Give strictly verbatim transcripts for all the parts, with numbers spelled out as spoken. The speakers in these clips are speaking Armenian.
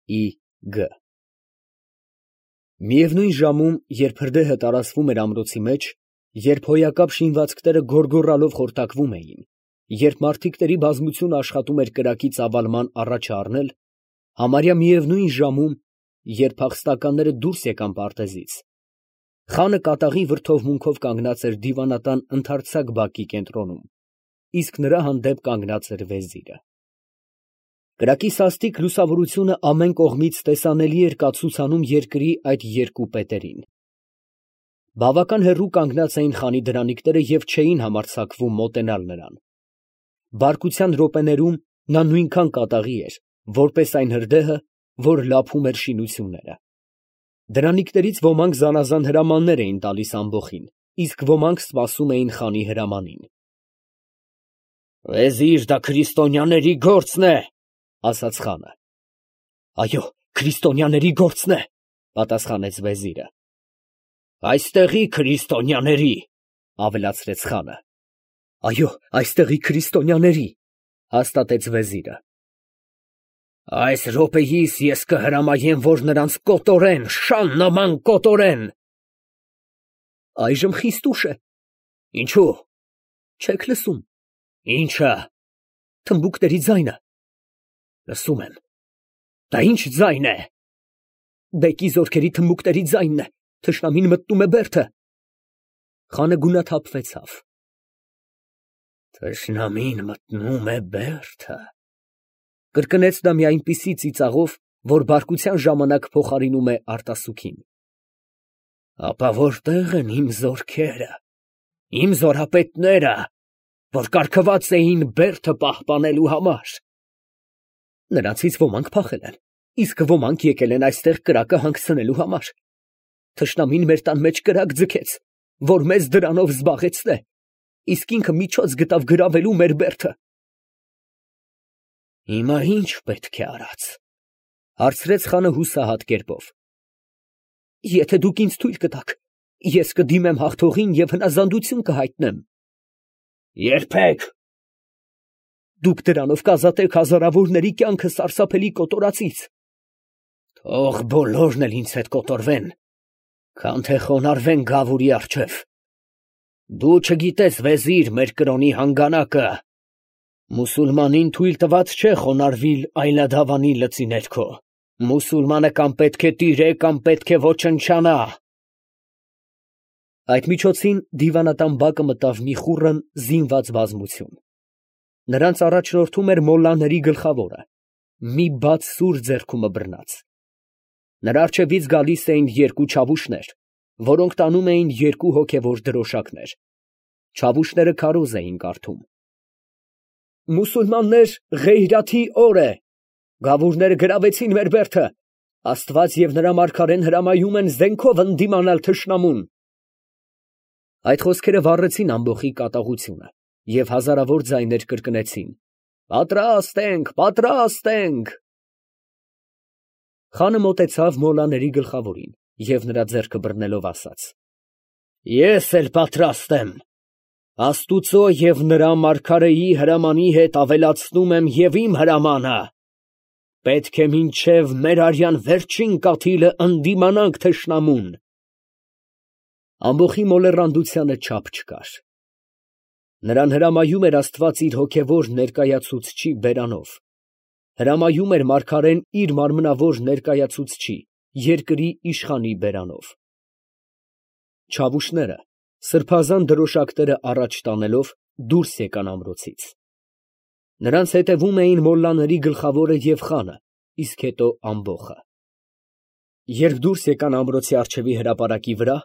ի գ Միևնույն ժամում, երբ հրդեհը տարածվում էր ամրոցի մեջ, երբ հոյակապ շինվածքները գոռգոռալով խորտակվում էին, երբ մարդիկների բազմությունը աշխատում էր կրակի ծավալման առաջը առնել, համարյա միևնույն ժամում, երբ փախստականները դուրս եկան պարտեզից, խանը կատաղի վրդովմունքով կանգնած էր դիվանատան ընդարձակ բակի կենտրոնում, իսկ նրա հանդեպ կանգնած էր վեզիրը։ Կրակի սաստիկ լուսավորությունը ամեն կողմից տեսանելի էր կացուցանում երկրի այդ երկու պետերին։ Բավական հեռու կանգնած էին խանի դրանիկները և չէին համարձակվում մոտենալ նրան։ Բարկության րոպեներում նա նույնքան կատաղի էր, որպես այն հրդեհը, որ լափում էր շինությունները։ Դրանիկներից ոմանք զանազան հրամաններ էին տալիս ամբոխին, իսկ ոմանք սպասում էին խանի հրամանին։ «Վեզիր, դա քրիստոնյաների գործն է», ֊ ասաց խանը։ «Այո, քրիստոնյաների գործն է», ֊ պատասխանեց վեզիրը։ «Այստեղի քրիստոնյաների», ֊ ավելացրեց խանը։ «Այո, այստեղի քրիստոնյաների», ֊ հաստատեց վեզիրը։ «Այս րոպեիս ես կհրամայեմ, որ նրանց կոտորեն, շան նման կոտորեն»։ «Այժմ խիստ ուշ է»։ «Ինչո՞ւ»։ «Չեք լսում»։ «Ի՞նչը»։ «Թմբուկների ձայնը»։ «Լսում եմ»։ «Դա ի՞նչ ձայն է»։ «Բեկի զորքերի թմբուկների ձայնն է, թշնամին մտնում է բերդը»։ Խանը գունաթափվեցավ։ «Թշնամին մտնում է բերդը», կրկնեց նա մի այնպիսի ծիծաղով, որ բարկության ժամանակ փոխարինում է արտասուքին։ «Ապա որտե՞ղ են իմ զորքերը, իմ զորապետները, որ կարգված էին բերդը պահպանելու համար»։ «Նրանցից ոմանք փախել են, իսկ ոմանք եկել են այստեղ կրակը հանգցնելու համար։ Թշնամին մեր տան մեջ կրակ ձգեց, որ մեզ դրանով զբաղեցնե, իսկ ինքը միջոց գտավ գրավելու մեր բերդը»։ «Հիմա ի՞նչ պետք է արած», ֊ հարցրեց խանը հուսահատ կերպով։ «Եթե դուք ինձ թույլ կտաք, ես կդիմեմ հաղթողին և հնազանդություն կհայտնեմ»։ «Երբեք»։ «Դուք դրանով կազատեք հազարավորների կյանքը սարսափելի կոտորածից»։ «Թող բոլորն էլ ինձ հետ կոտորվեն, քան թե խոնարհվեն Գավուրի առջև։ Դու չգիտես, վեզիր, մեր կրոնի հանգանակը. մուսուլմանին թույլ տված չէ խոնարհվել այլադավանի լծի ներքո. մուսուլմանը կամ պետք է տիրե, կամ պետք է ոչնչանա»։ Այդ միջոցին դիվանատան բակը մտավ մի խուռն զինված բազմություն։ Նրանց առաջնորդում էր մոլլաների գլխավորը, մի բաց սուր ձեռքումը բռնած։ Նրա առջևից գալիս էին երկու չավուշներ, որոնք տանում էին երկու հոգևոր դրոշակներ։ Չավուշները քարոզ էին կարդում։ «Մուսուլմաններ, Ղեյրաթի օր է. Գավուրները գրավեցին մեր բերդը. Աստված և նրա մարգարեն հրամայում են զենքով ընդդիմանալ թշնամուն»։ Այդ խոսքերը վառեցին ամբոխի կատաղությունը, և հազարավոր ձայներ կրկնեցին. «Պատրաստ ենք, պատրաստ ենք»։ Խանը մոտեցավ մոլլաների գլխավորին և նրա ձեռքը բռնելով ասաց. «Ես էլ պատրաստ եմ, Աստուծո և նրա մարգարեի հրամանի հետ ավելացնում եմ և իմ հրամանը. պետք է մինչև մեր արյան վերջին կաթիլը ընդդիմանանք թշնամուն»։ Ամբոխի մոլեռանդությանը չափ չկար։ Նրան հրամայում էր Աստված իր հոգևոր ներկայացուցչի բերանով, հրամայում էր մարգարեն իր մարմնավոր ներկայացուցչի՝ երկրի իշխանի բերանով։ Չավուշները, սրբազան դրոշակները առաջ տանելով, դուրս եկան ամրոցից։ Նրանց հետևում էին մոլլաների գլխավորը և խանը, իսկ հետո ամբոխը։ Երբ դուրս եկան ամրոցի առջևի հրապարակի վրա,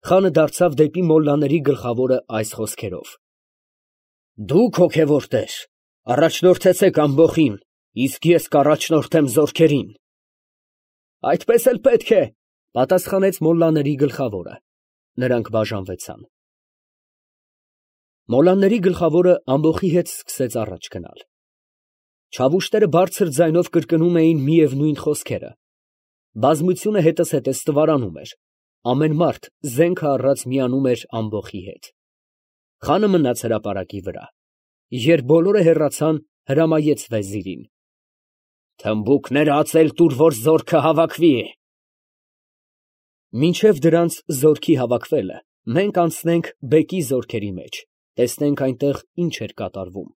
խանը դարձավ դեպի մոլլաների գլխավորը այս խոսքերով. «Դուք, հոգևոր տեր, առաջնորդեցեք ամբոխին, իսկ ես կառաջնորդեմ զորքերին»։ «Այդպես էլ պետք է», ֊ պատասխանեց մոլլաների գլխավորը։ Նրանք բաժանվեցան։ Մոլլաների գլխավորը ամբոխի հետ սկսեց առաջ գնալ։ Չավուշները բարձր ձայնով կրկնում էին միևնույն խոսքերը։ Բազմությունը հետզհետե ստվարանում էր, ամեն մարդ զենքը առած միանում էր ամբոխի հետ։ Խանը մնաց հրապարակի վրա։ Երբ բոլորը հեռացան, հրամայեց վեզիրին. Թմբուկներ ածել տուր, որ զորքը հավաքվի։ Մինչև դրանց զորքի հավաքվելը, մենք անցնենք բեկի զորքերի մեջ, տեսնենք այնտեղ ինչ էր կատարվում։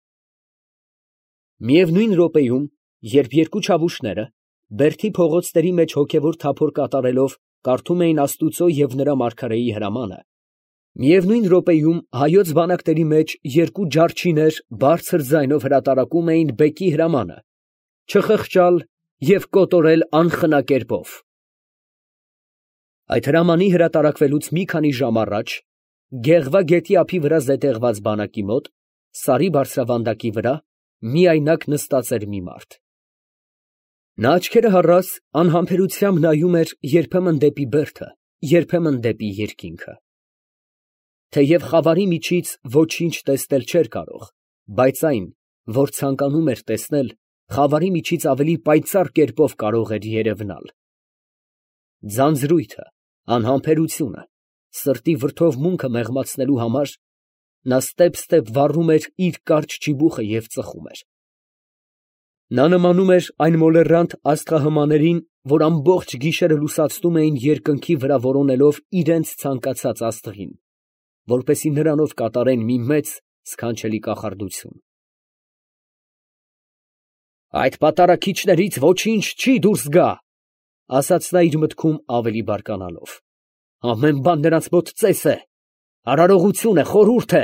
Միևնույն րոպեում, երբ երկու չավուշները Բերդի փողոցների մեջ հոգևոր թափոր կատարելով կարդում էին Աստուծո և նրա մարգարեի հրամանը, միևնույն րոպեում հայոց բանակների մեջ երկու ջարդչիներ բարձր ձայնով հրատարակում էին բեկի հրամանը, չխղճալ և կոտորել անխնա կերպով։ Այդ հրամանի հրատարակվելուց մի քանի ժամ առաջ, Գեղվա գետի ափի վրա զետեղված բանակի մոտ, սարի բարձրավանդակի վրա, միայնակ նստած էր մի մարդ։ Նա աչքերը հառած անհամբերությամբ նայում էր երբեմն դեպի բերդը, երբեմն դեպի երկինքը։ Թեև խավարի միջից ոչինչ տեսնել չէր կարող, բայց այն, որ ցանկանում էր տեսնել, խավարի միջից ավելի պայծառ կերպով կարող էր երևնալ։ Ձանձրույթը, անհամբերությունը, սրտի վրդովմունքը մեղմացնելու համար նա ստեպ֊ստեպ վառում էր իր կարճ ճիբուխը և ծխում էր։ Նա նմանում էր այն մոլեռանդ աստղահմաներին, որ ամբողջ գիշերը լուսացնում էին երկնքի վրա որոնելով իրենց ցանկացած աստղին, որպեսզի նրանով կատարեն մի մեծ սքանչելի կախարդություն։ «Այդ պատարագիչներից ոչինչ չի դուրս գա», ֊ ասաց նա իր մտքում ավելի բարկանալով. «ամեն բան նրանց մոտ ծես է, արարողություն է, խորհուրդ է»։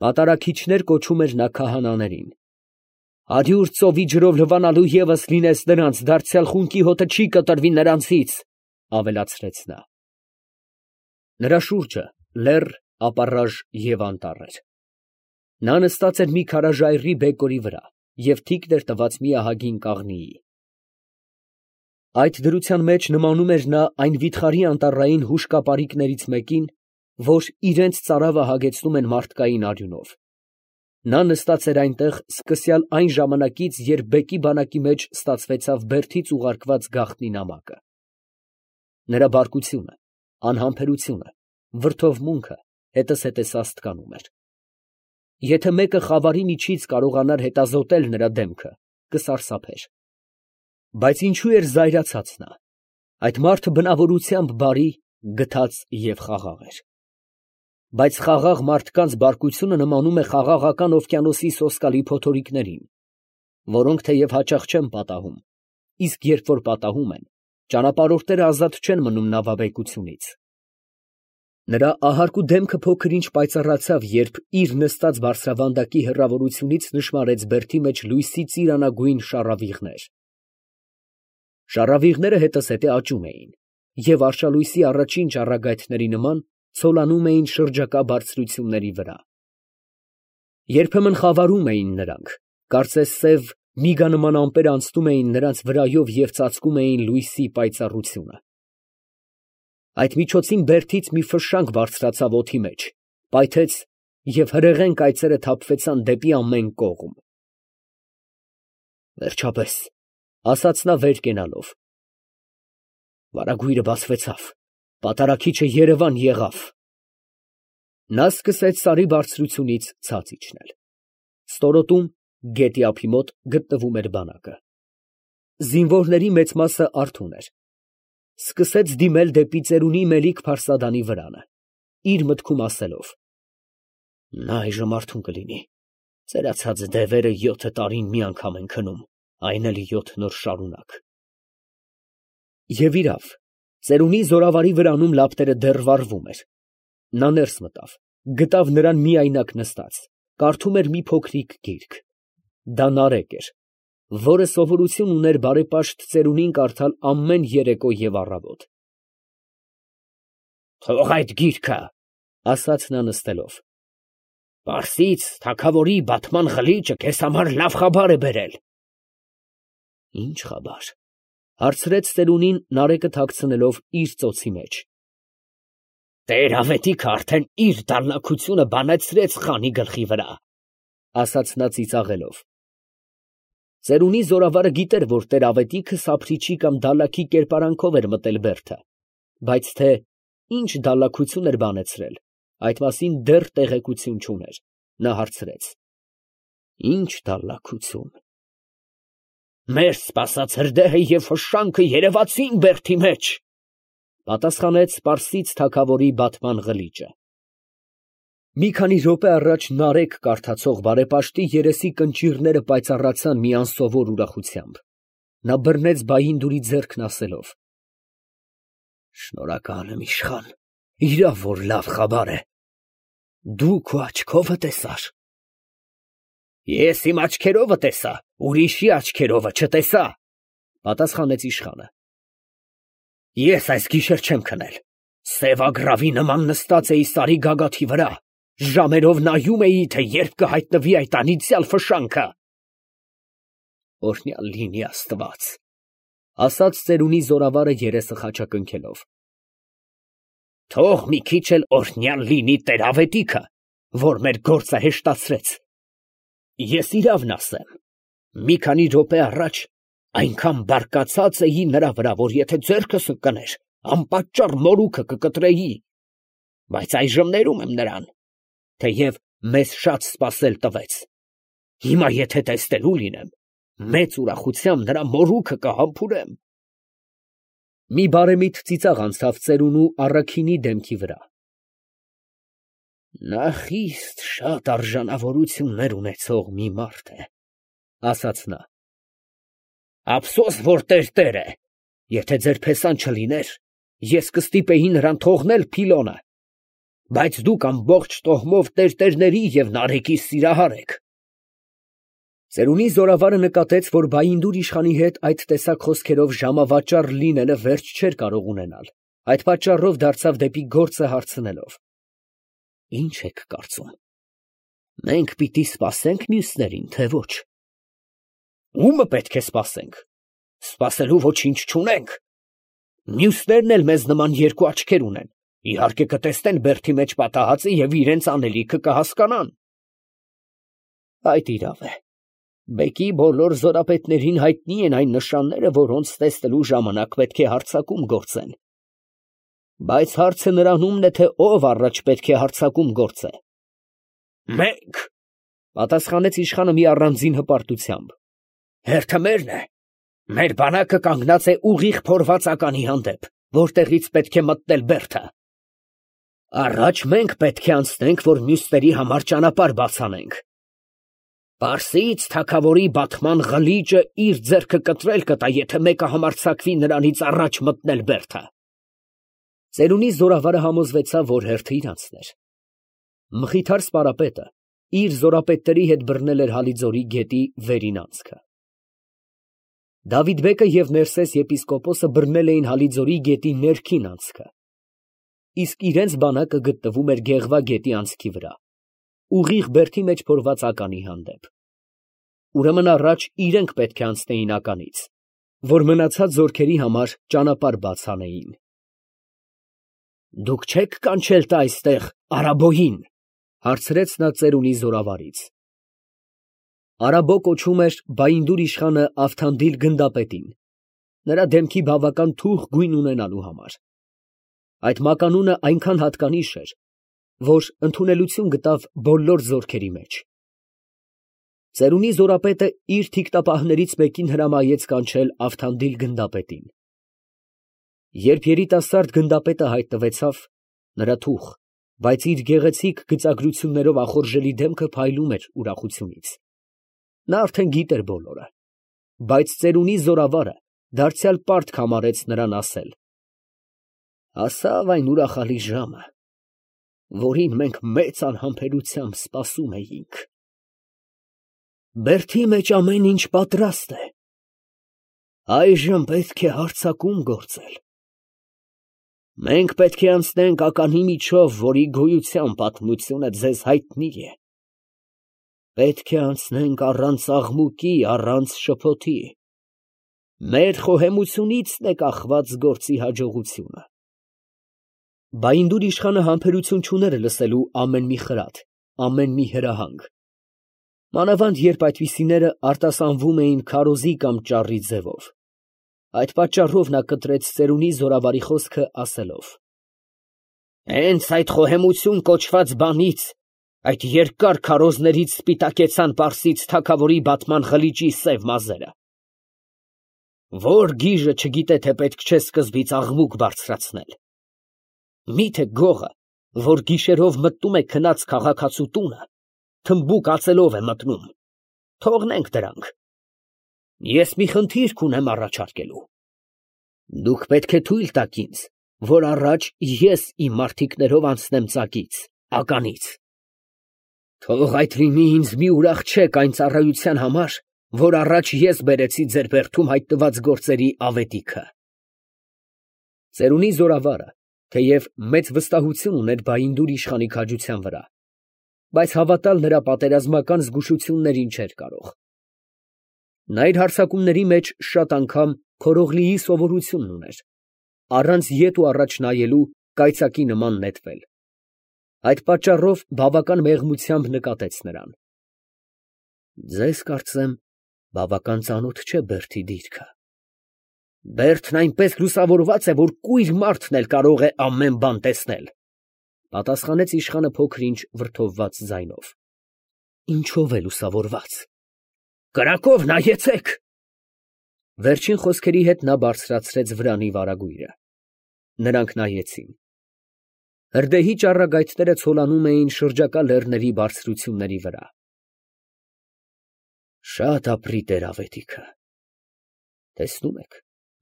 Պատարագիչներ կոչում էր նա քահանաներին։ «Հարյուր ծովի ջրով լվանալու ևս լինես նրանց, դարձյալ խունկի հոտը չի կտրվի նրանցից», ֊ ավելացրեց նա։ Նրա շուրջը լեռ, ապառաժ և անտառ էր։ Նա նստած էր մի քարաժայռի բեկորի վրա և թիկն էր տված մի ահագին կաղնիի։ Այդ դրության մեջ նմանում էր նա այն վիթխարի անտառային հուշկապարիկներից մեկին, որ իրենց ծարավը հագեցնում են մարդկային արյունով։ Նա նստած էր այնտեղ սկսյալ այն ժամանակից, երբ բեկի բանակի մեջ ստացվեցավ Բերդից ուղարկված գաղտնի նամակը։ Նրա բարկությունը, անհամբերությունը, վրդովմունքը հետզհետե սաստկանում էր։ Եթե մեկը խավարի միջից կարողանար հետազոտել նրա դեմքը, կսարսափեր։ Բայց ինչու էր զայրացած նա։ Այդ մարդը բնավորությամբ բարի, գթած և խաղաղ էր։ Բայց խաղաղ մարդկանց բարկությունը նմանում է խաղաղական օվկիանոսի սոսկալի փոթորիկներին, որոնք թեև հաճախ չեն պատահում, իսկ երբ որ պատահում են, ճանապարհորդները ազատ չեն մնում նավաբեկությունից։ Նրա ահարկու դեմքը փոքր ինչ պայծառացավ, երբ իր նստած բարձրավանդակի հեռավորությունից նշմարեց բերդի մեջ լույսի ծիրանագույն շառավիղներ։ Շառավիղները հետզհետե աճում էին և արշալույսի առաջին ճառագայթների նման ցոլանում էին շրջակա բարձրությունների վրա։ Երբեմն խավարում էին նրանք, կարծես սև միգանման ամպեր անցնում էին նրանց վրայով և ծածկում էին լույսի պայծառությունը։ Այդ միջոցին Բերդից մի ֆշշանք բարձրացավ օդի մեջ, պայթեց և հրեղեն կայծերը թափվեցան դեպի ամեն կողմ։ «Վերջապես», ֊ ասաց նա վեր կենալով, «վարագույրը բացվեցավ, պատարագիչը երևան եղավ»։ Նա սկսեց սարի բարձրությունից ցած իջնել։ Ստորոտում, գետի ափի մոտ, գտնվում էր բանակը։ Զինվորների մեծ մասը արթուն էր։ Սկսեց դիմել դեպի ծերունի Մելիք-Փարսադանի վրանը, իր մտքում ասելով. «Նա այժմ արթուն կլինի, ծերացած դևերը յոթ տարին մի անգամ են քնում, այն էլ յոթ նոր շարունակ»։ Եվ իրավ, ծերունի զորավարի վրանում լապտերը դեռ վառվում էր։ Նա ներս մտավ, գտավ նրան միայնակ նստած, կարդում էր մի փոքրիկ գիրք։ Դա Նարեկ էր, որը սովորություն ուներ բարեպաշտ ծերունին կարդալ ամեն երեկո և առավոտ։ «Թող այդ գիրքը, ֊ ասաց նա նստելով, ֊ պարսից թագավորի բատման ղլիճը քեզ համար լավ խաբար է բերել»։ «Ի՞նչ խաբար, ֊ հարցրեց ծերունին Նարեկը թաքցնելով իր ծոցի մեջ։ ֊ Տեր֊Ավետիքը արդեն իր դալլաքությունը բանացրեց խանի գլխի վրա, ֊ ասաց նա ծիծաղելով։ Ծերունի զորավարը գիտեր, որ տեր֊Ավետիքը սափրիչի կամ դալլաքի կերպարանքով էր մտել Բերդը, բայց թե ինչ դալլաքություն էր բանեցրել, այդ մասին դեռ տեղեկություն չուներ։ Նա հարցրեց. «Ի՞նչ դալլաքություն»։ Մեր սպասած հրդեհը և ֆշշանքը երևացին Բերդի մեջ, պատասխանեց Պարսից թագավորի բատման ղլիճը։ Մի քանի րոպե առաջ նարեկ կարդացող բարեպաշտի երեսի կնճիռները պայծառացան մի անսովոր ուրախությամբ. նա բռնեց Բայինդուրի ձեռքն ասելով. «Շնորհակալ եմ, իշխան, իրավ որ լավ խաբար է, դու քո աչքովը տեսար»։ Ես իմ աչքերովը տեսա, ուրիշի աչքերովը չտեսա, պատասխանեց իշխանը։ Ես այս գիշեր չեմ քնել, սև ագռավի նման նստած էի սարի գագաթի վրա, ժամերով նայում էի, թե երբ կհայտնվի այդ անիծյալ ֆշշանքը։ Օրհնյալ լինի Աստված, ասաց ծերունի զորավարը երեսը խաչակնքելով։ Թող մի քիչ էլ օրհնյալ լինի Տեր-Ավետիքը, որ մեր գործը հեշտացրեց։ Ես իրավն ասեմ, մի քանի րոպե առաջ այնքան բարկացած էի նրա վրա, որ եթե ձեռքս ընկներ, անպատճառ մորուքը կկտրեի, բայց այժմ ներում եմ նրան, թեև մեզ շատ սպասել տվեց։ Հիմա եթե տեսնելու լինեմ, մեծ ուրախությամբ նրա մորուքը կհամբուրեմ։ Մի բարեմիտ ծիծաղ անցավ ծերունու առաքինի դեմքի վրա։ Նա խիստ շատ արժանավորություններ ունեցող մի մարդ է, ասաց նա։ Ափսոս, որ տերտեր է, եթե ձեր փեսան չլիներ, ես կստիպեի նրան թողնել Փիլոնը, բայց դուք ամբողջ տոհմով տերտերների և նարեկի սիրահար եք։ Ծերունի զորավարը նկատեց, որ Բայինդուր իշխանի հետ այդ տեսակ խոսքերով ժամավաճառ լինելը վերջ չէր կարող ունենալ, այդ պատճառով դարձավ դեպի գործը հարցնելով. Ինչ եք կարծում, մենք պիտի սպասե՞նք մյուսներին, թե ոչ։ Ո՞ւմը պետք է սպասենք, սպասելու ոչինչ չունենք։ Մյուսներն էլ մեզ նման երկու աչքեր ունեն, իհարկե կտեսնեն Բերդի մեջ պատահածը և իրենց անելիքը կհասկանան։ Այդ իրավ է, բեկի բոլոր զորապետներին հայտնի են այն նշանները, որոնց տեսնելու ժամանակ պետք է հարձակում գործեն։ Բայց հարցը նրանումն է, թե ով առաջ պետք է հարձակում գործե։ Մենք, պատասխանեց իշխանը մի առանձին հպարտությամբ։ Հերթը մերն է, մեր բանակը կանգնած է ուղիղ փորված ականի հանդեպ, որտեղից պետք է մտնել Բերդը։ Առաջ մենք պետք է անցնենք, որ մյուսների համար ճանապարհ բացանենք։ Պարսից թագավորի բատման ղլիճը իր ձեռքը կտրել կտա, եթե մեկը համարձակվի նրանից առաջ մտնել Բերդը։ Ծերունի զորավարը համոզվեցավ, որ հերթը իրանցն էր։ Մխիթար սպարապետը իր զորապետների հետ բռնել էր Հալիձորի գետի վերին անցքը։ Դավիթբեկը և Ներսես եպիսկոպոսը բռնել էին Հալիձորի գետի ներքին անցքը, իսկ իրենց բանակը գտնվում էր Գեղվա գետի անցքի վրա, ուղիղ Բերդի մեջ փորված ականի հանդեպ։ Ուրեմն առաջ իրենք պետք է անցնեին ականից, որ մնացած զորքերի համար ճանապարհ բաց անեին։ Դուք չեք կանչել տա այստեղ Արաբոյին, հարցրեց նա ծերունի զորավարից։ Արաբո կոչում էր Բայինդուր իշխանը Ավթանդիլ գնդապետին, նրա դեմքի բավական թուխ գույն ունենալու համար։ Այդ մականունը այնքան հատկանիշ էր, որ ընդունելություն գտավ բոլոր զորքերի մեջ։ Ծերունի զորապետը իր թիկտապահներից մեկին հրամայեց կանչել Ավթանդիլ գնդապետին։ Երբ երիտասարդ գնդապետը հայտնվեցավ, նրա թուխ, բայց իր գեղեցիկ գծագրություններով ախորժելի դեմքը փայլում էր ուրախությունից։ Նա արդեն գիտեր բոլորը, բայց ծերունի զորավարը դարձյալ պարտք համարեց նրան ասել. Ասավ այն ուրախալի ժամը, որին մենք մեծ անհամբերությամբ սպասում էինք։ Բերդի մեջ ամեն ինչ պատրաստ է։ Այժմ պետք է հարձակում գործել։ Մենք պետք է անցնենք ականի միջով, որի գոյության պատմությունը ձեզ հայտնի է։ Պետք է անցնենք առանց աղմուկի, առանց շփոթի։ Մեր խոհեմությունիցն է կախված գործի հաջողությունը։ Բայինդուր իշխանը համբերություն չուներ լսելու ամեն մի խրատ, ամեն մի հրահանգ։ Մանավանդ երբ այդպիսիները արտասանվում էին քարոզի կամ ճառի ձևով։ Այդ պատճառով նա կտրեց ծերունի զորավարի խոսքը ասելով. Հենց այդ խոհեմություն կոչված բանից, այդ երկար քարոզներից սպիտակեցան Պարսից թագավորի բատման ղլիճի սև մազերը։ Որ գիժը չգիտե, թե պետք չէ սկզբից աղմուկ բարձրացնել։ Միթե գողը, որ գիշերով մտնում է քնած քաղաքացու տունը, թմբուկ ածելով է մտնում, թողնենք դրանք։ Ես մի խնդիր կունեմ առաջարկելու։ Դուք պետք է թույլ տաք ինձ, որ առաջ ես իմ մարդիկներով անցնեմ ծակից, ականից։ Թող այդ լինի ինձ մի ուրախ չեք այն ծառայության համար, որ առաջ ես բերեցի ձեր բերդում հայտնված գործերի ավետիքը։ Ծերունի զորավարը, թեև մեծ վստահություն ուներ Բայնդուր իշխանի քաջության վրա, բայց հավատալ նրա պատերազմական զգուշություններին չէր կարող։ Նա իր հարձակումների մեջ շատ անգամ Քորողլիի սովորությունն ուներ, առանց ետ ու առաջ նայելու կայծակի նման նետվել։ Այդ պատճառով բավական մեղմությամբ նկատեց նրան։ Ձեզ, կարծեմ, բավական ծանոթ չէ Բերդի դիրքը։ Բերդն այնպես լուսավորված է, որ կույր մարդն էլ կարող է ամեն բան տեսնել, պատասխանեց իշխանը փոքր-ինչ վրդովված ձայնով։ Ինչով է լուսավորված։ Կրակով նայեցեք։ Վերջին խոսքերի հետ նա բարձրացրեց վրանի վարագույրը։ Նրանք նայեցին։ Հրդեհի ճառագայթները ցոլանում էին շրջակա լեռների բարձրությունների վրա։ Շատ ապրի տեր ավետիքը։ Տեսնում եք,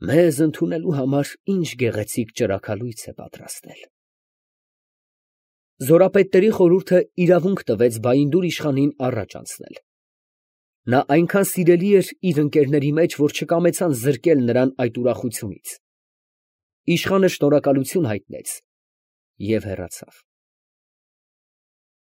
մեզ ընդունելու համար ինչ գեղեցիկ ճրագալույց է պատրաստել։ Զորապետների խորհուրդը իրավունք տվեց Բայնդուր իշխանին առաջ անցնել։ Նա այնքան սիրելի էր իր ընկերների մեջ, որ չկամեցան զրկել նրան այդ ուրախությունից։ Իշխանը շնորհակալություն հայտնեց և հեռացավ։